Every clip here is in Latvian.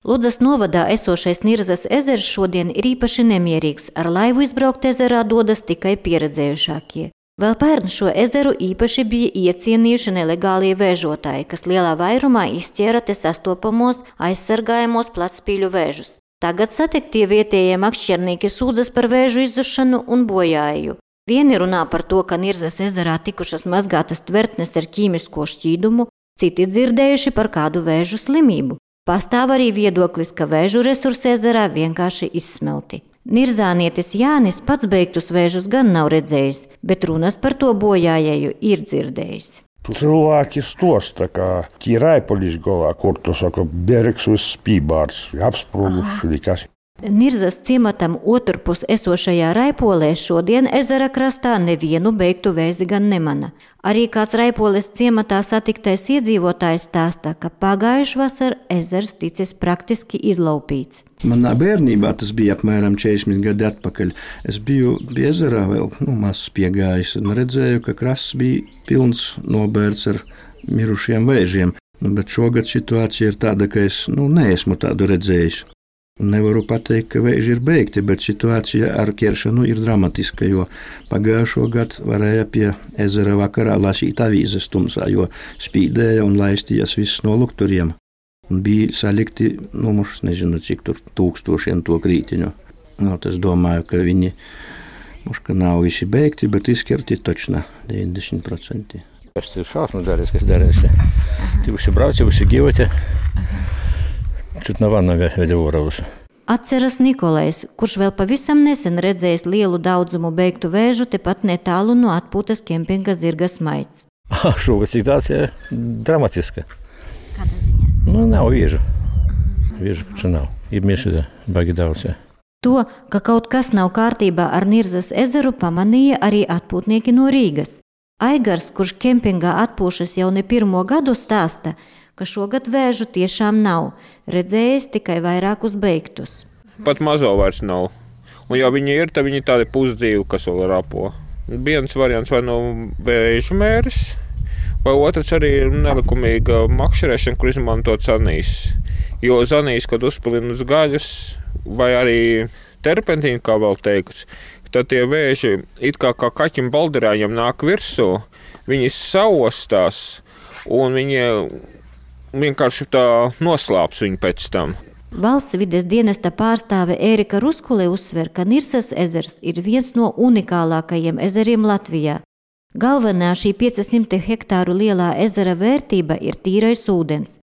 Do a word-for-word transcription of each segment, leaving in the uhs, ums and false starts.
Ludzas novadā esošais Nirzas ezers šodien ir īpaši nemierīgs, ar laivu izbraukt ezerā dodas tikai pieredzējušākie. Vēl pērn šo ezeru īpaši bija iecienījuši nelegālie vēžotāji, kas lielā vairumā izķēra te sastopamos aizsargājamos platspīļu vēžus. Tagad satiktie vietējie makšķernīki sūdzas par vēžu izzušanu un bojāju. Vieni runā par to, ka Nirzas ezerā tikušas mazgātas tvertnes ar ķīmisko šķīdumu, citi dzirdējuši par kādu vēžu slimību. Pastāv arī viedoklis, ka vēžu resursi ezerā vienkārši izsmelti. Nirzānietis Jānis pats beigtus vēžus gan nav redzējis, bet runas par to bojājēju ir dzirdējis. Cilvēki stosta, ka Raipolis galā, kur to saka, bergs uz spībārs, apsprūguši nekas. Nirzas ciematam otrpus esošajā Raipolē šodien ezera krastā nevienu beigtu vēzi gan nemana. Arī kāds Raipoles ciematā satiktais iedzīvotājs stāsta, ka pagājuši vasar ezers ticis praktiski izlaupīts. Manā bērnībā tas bija apmēram četrdesmit gadi atpakaļ. Es biju pie ezerā vēl nu, mazs piegājis un redzēju, ka krasts bija pilns nobērts ar mirušiem vēžiem. Nu, bet šogad situācija ir tāda, ka es nu, neesmu tādu redzējis. Nevaru pateikt, ka vēži ir beigti, bet situācija ar ķeršanu ir dramatiska, jo pagājušo gadu varēja pie ezera vakarā lasīt avīzes tumsā, jo spīdēja un laistījās viss no lukturiem. Un bija salikti, nu, mums nezinu, cik tur tūkstošiem to krītiņu. Nu, es domāju, ka viņi, mums, ka nav visi beigti, bet izkerti točna deviņdesmit procenti. Tas ir šausmas darīs, kas darīs. Ti visi brauci, visi gyvoti. Čut nav vana veļa Oravus. Atceras Nikolais, kurš vēl pavisam nesen redzējis lielu daudzumu beigtu vēžu tepat netālu no atpūtas kempinga Zirga Smaids. Šogad situācija dramatiska. Kādā ziņā? Nu, nav viežu. Viežu taču nav. Ir mieši baigi daudz. Jā. To, ka kaut kas nav kārtībā ar Nirzas ezeru, pamanīja arī atpūtnieki no Rīgas. Aigars, kurš kempingā atpūšas jau ne pirmo gadu, stāsta, ka šogad vēžu tiešām nav, redzējis tikai vairākus beigtus. Pat mazo vairs nav. Un ja viņi ir, tad viņi tādi pusdzīvi, kas vēl rapo. Viens variants vai no vēžu mēris, vai otrs arī ir nelikumīga makšķerēšana, kur izmantot zanīs. Jo zanīs, kad uzpilina uz gaļas, vai arī terpentīnu, kā vēl teikts, tad tie vēži it kā kā kaķim balderājiem nāk virsū, viņi saostās un viņi vienkārši tā noslāps viņu pēc tam. Valsts vides dienesta pārstāve Ērika Ruskule uzsver, ka Nirzas ezers ir viens no unikālākajiem ezeriem Latvijā. Galvenā šī piecsimt hektāru lielā ezera vērtība ir tīrais ūdens.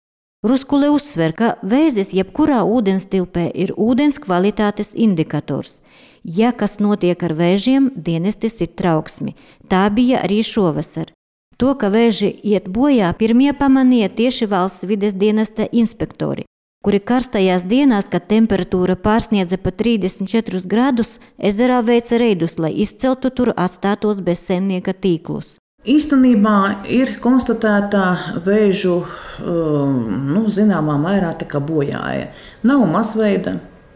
Ruskule uzsver, ka vēzis jebkurā ūdenstilpē ir ūdens kvalitātes indikators. Ja kas notiek ar vēžiem, dienestis ir trauksmi. Tā bija arī šovasar. To, ka vēži iet bojā, pirmie pamanīja tieši valsts vides dienesta inspektori, kuri karstajās dienās, kad temperatūra pārsniedza pa trīsdesmit četrus grādus, ezerā veica reidus, lai izceltu tur atstātos bezsaimnieka tīklus. Īstenībā ir konstatēta vēžu, nu, zināmā mērā tā kā bojāja. Nav masveida,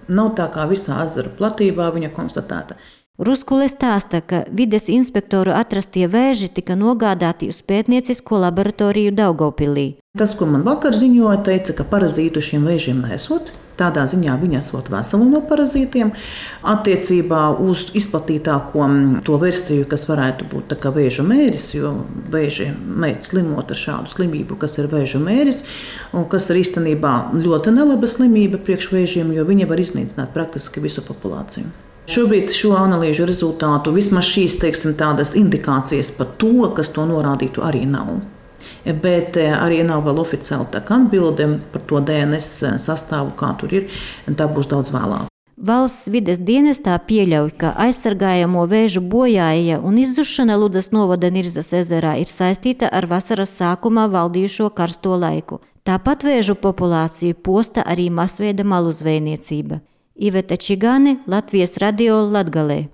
nav tā kā visā ezera platībā viņa konstatēta. Ruskule stāsta, ka vides inspektoru atrastie vēži tika nogādāti uz pētniecisko laboratoriju Daugavpilī. Tas, ko man vakar ziņoja, teica, ka parazītu šiem vēžiem nesot. Tādā ziņā viņi esot veseli no parazītiem. Attiecībā uz izplatītāko to versiju, kas varētu būt tā kā vēža mēris, jo vēži mēdz slimot ar šādu slimību, kas ir vēža mēris, un kas ir īstenībā ļoti nelaba slimība priekš vēžiem, jo viņi var iznīcināt praktiski visu populāciju. Šobrīd šo analīžu rezultātu vismaz šīs, teiksim, tādas indikācijas par to, kas to norādītu, arī nav. Bet arī nav vēl oficiāli tā kā atbilde par to D N S sastāvu, kā tur ir, un tā būs daudz vēlāk. Valsts vides dienestā pieļauj, ka aizsargājamo vēžu bojāja un izzušana Ludzas novada Nirzas ezerā ir saistīta ar vasaras sākumā valdījušo karsto laiku. Tāpat vēžu populāciju posta arī masveida maluzvejniecība. Iveta Čigāne, Latvijas radio Latgalē.